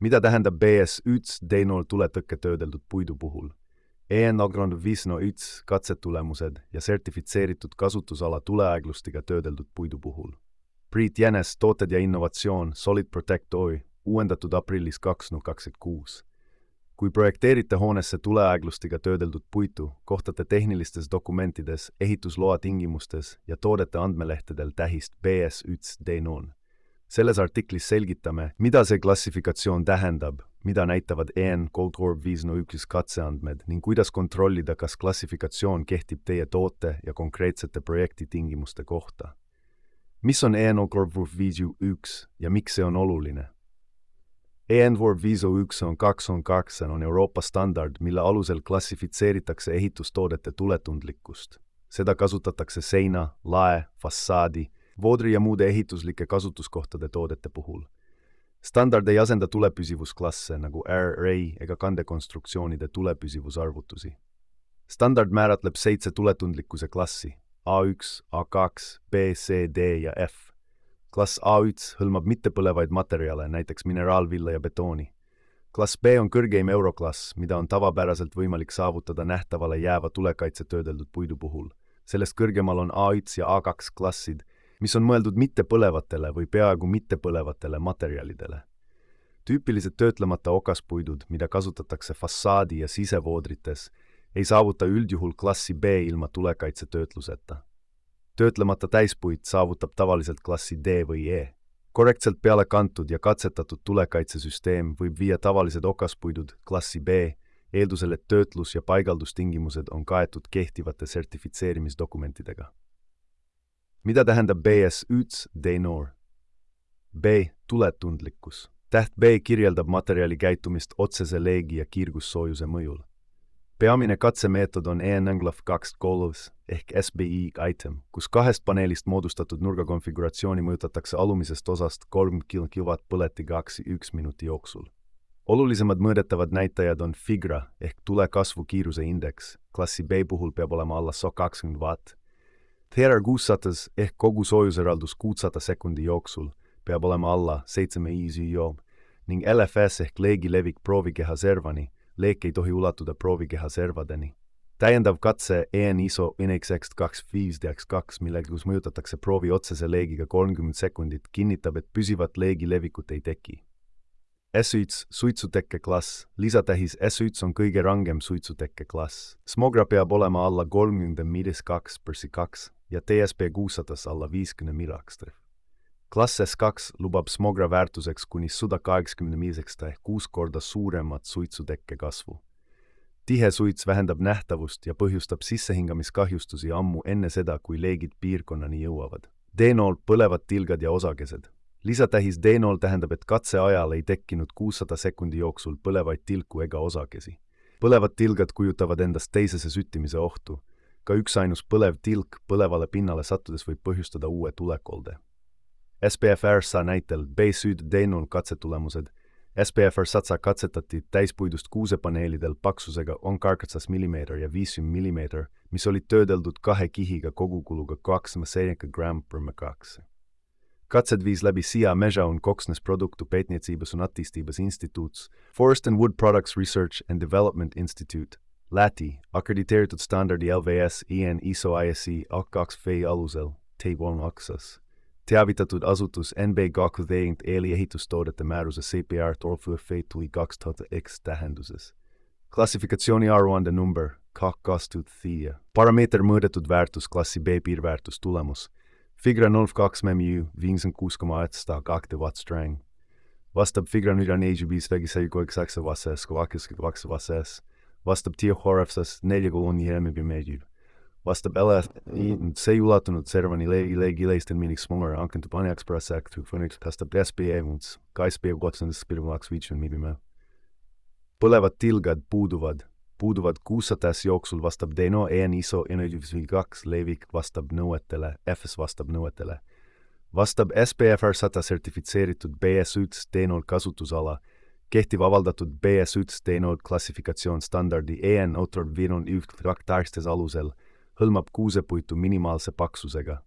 Mida tähendab BS1 D0 tuletõkke töödeldud puidu puhul? EN Agrond 501 katsetulemused ja sertifitseeritud kasutusala tuleaeglustiga töödeldud puidu puhul. Priit Jänes, tooted ja innovatsioon, Solid Protect Oy, uuendatud aprillis 2026. Kui projekteerite hoonesse tuleaeglustiga töödeldud puitu, kohtate tehnilistes dokumentides, ehitusloa tingimustes ja toodete andmelehtedel tähist BS1 D0. Selles artiklis selgitame, mida see klassifikatsioon tähendab, mida näitavad EN Goldcorp 501 katseandmed ning kuidas kontrollida, kas klassifikatsioon kehtib teie toote ja konkreetsete projekti tingimuste kohta. Mis on EN Goldcorp 501 ja miks see on oluline? EN Goldcorp 501 on Euroopa standard, mille alusel klassifitseeritakse ehitustoodete tuletundlikkust. Seda kasutatakse seina, lae, fassaadi, voodri ja muude ehituslike kasutuskohtade toodete puhul. Standard ei asenda tulepüsivusklasse nagu RA ega kandekonstruktsioonide tulepüsivusarvutusi. Standard määratleb 7 tuletundlikkuse klassi A1, A2, B, C, D ja F. Klass A1 hõlmab mittepõlevaid materjale, näiteks mineraalvilla ja betooni. Klass B on kõrgeim euroklass, mida on tavapäraselt võimalik saavutada nähtavale jääva tulekaitse töödeldud puidu puhul. Sellest kõrgemal on A1 ja A2 klassid, mis on mõeldud mittepõlevatele või peaaegu mittepõlevatele materjalidele. Tüüpilised töötlemata okaspuidud, mida kasutatakse fassaadi ja sisevoodrites, ei saavuta üldjuhul klassi B ilma tulekaitsetöötluseta. Töötlemata täispuit saavutab tavaliselt klassi D või E. Korrektselt peale kantud ja katsetatud tulekaitsesüsteem võib viia tavalised okaspuidud klassi B, eeldusel, et töötlus- ja paigaldustingimused on kaetud kehtivate sertifitseerimisdokumentidega. Mida tähendab BS1 D0? B. Tuletundlikkus. Täht B kirjeldab materjali käitumist otsese leegi ja kiirgussoojuse mõjul. Peamine katsemeetod on EN-Englov 2 Goals ehk SBI item, kus 2 paneelist moodustatud nurgakonfiguratsiooni mõjutatakse alumisest osast 3 kW põleti 2-1 minuti jooksul. Olulisemad mõõdetavad näitajad on FIGRA ehk tule kasvu kiiruse indeks, klassi B puhul peab olema alla 120 watt. TR 600 ehk kogu soojuseraldus 600 sekundi jooksul peab olema alla 7 ISO ning LFS ehk leegi levik proovikeha servani, leek ei tohi ulatuda proovikeha servadeni. Täiendav katse EN ISO NXX25DX2, millega mõjutatakse proovi otsese leegiga 30 sekundit, kinnitab, et püsivat leegi levikut ei teki. S1 suitsutekke klass, lisatähis S1 on kõige rangem suitsutekke klass. Smogra peab olema alla 30 mm2/2 ja TSP 600 alla 50 mm2. Klass S2 lubab smogra väärtuseks kuni 180 mm ehk 6 korda suuremat suitsutekke kasvu. Tihe suits vähendab nähtavust ja põhjustab sissehingamiskahjustusi ammu enne seda, kui leegid piirkonnani jõuavad. D0 põlevad tilgad ja osakesed. Lisatähis D0 tähendab, et katse ajal ei tekkinud 600 sekundi jooksul põlevaid tilku ega osakesi. Põlevad tilgad kujutavad endast teisese süttimise ohtu. Ka üksainus põlev tilk põlevale pinnale sattudes võib põhjustada uue tulekolde. SPFR SA näitel B-Süd D0 katsetulemused. SPFR satsa katsetati täispuidust kuusepaneelidel paksusega on 8 mm ja 5 mm, mis olid töödeldud 2 kihiga kogukuluga 2,7 g/m2. Katsed viis läbi SIA Mežaun koksnes produktu pētniecības un attīstības institūts, Forest and Wood Products Research and Development Institute, Läti, akrediteeritud standardi LVS EN ISO ISI A2V alusel, T1 aksas. Teavitatud asutus NB Gakveint eeli ehitustoodete määruse CPR Torfufe tuli 2000X tähenduses. Klassifikatsiooni aruande number K2000. Parameeter mõõdetud väärtus klassi B piirväärtus tulemus. Figra 02 MMU 56,2 watt strang. Vastab Figra 4,5 vases. Vastab Tiohorefsas 4,1 MMU. Vastab see ei ulatunud servani leegileisten miniks smonger ankentub anjakspärasäktu fõniks kastab SPE-muns, KSP 2,5 mm. Põlevad tilgad puuduvad 600 jooksul vastab D0 EN ISO NXX2 levik vastab nõuetele, FS vastab nõuetele. Vastab SPFR 100 sertifitseeritud BS1 D0 kasutusala, kehtiv avaldatud BS1 D0 klassifikatsioon standardi EN Outdoor Viron üht traktaristes alusel, hõlmab kuusepuitu minimaalse paksusega,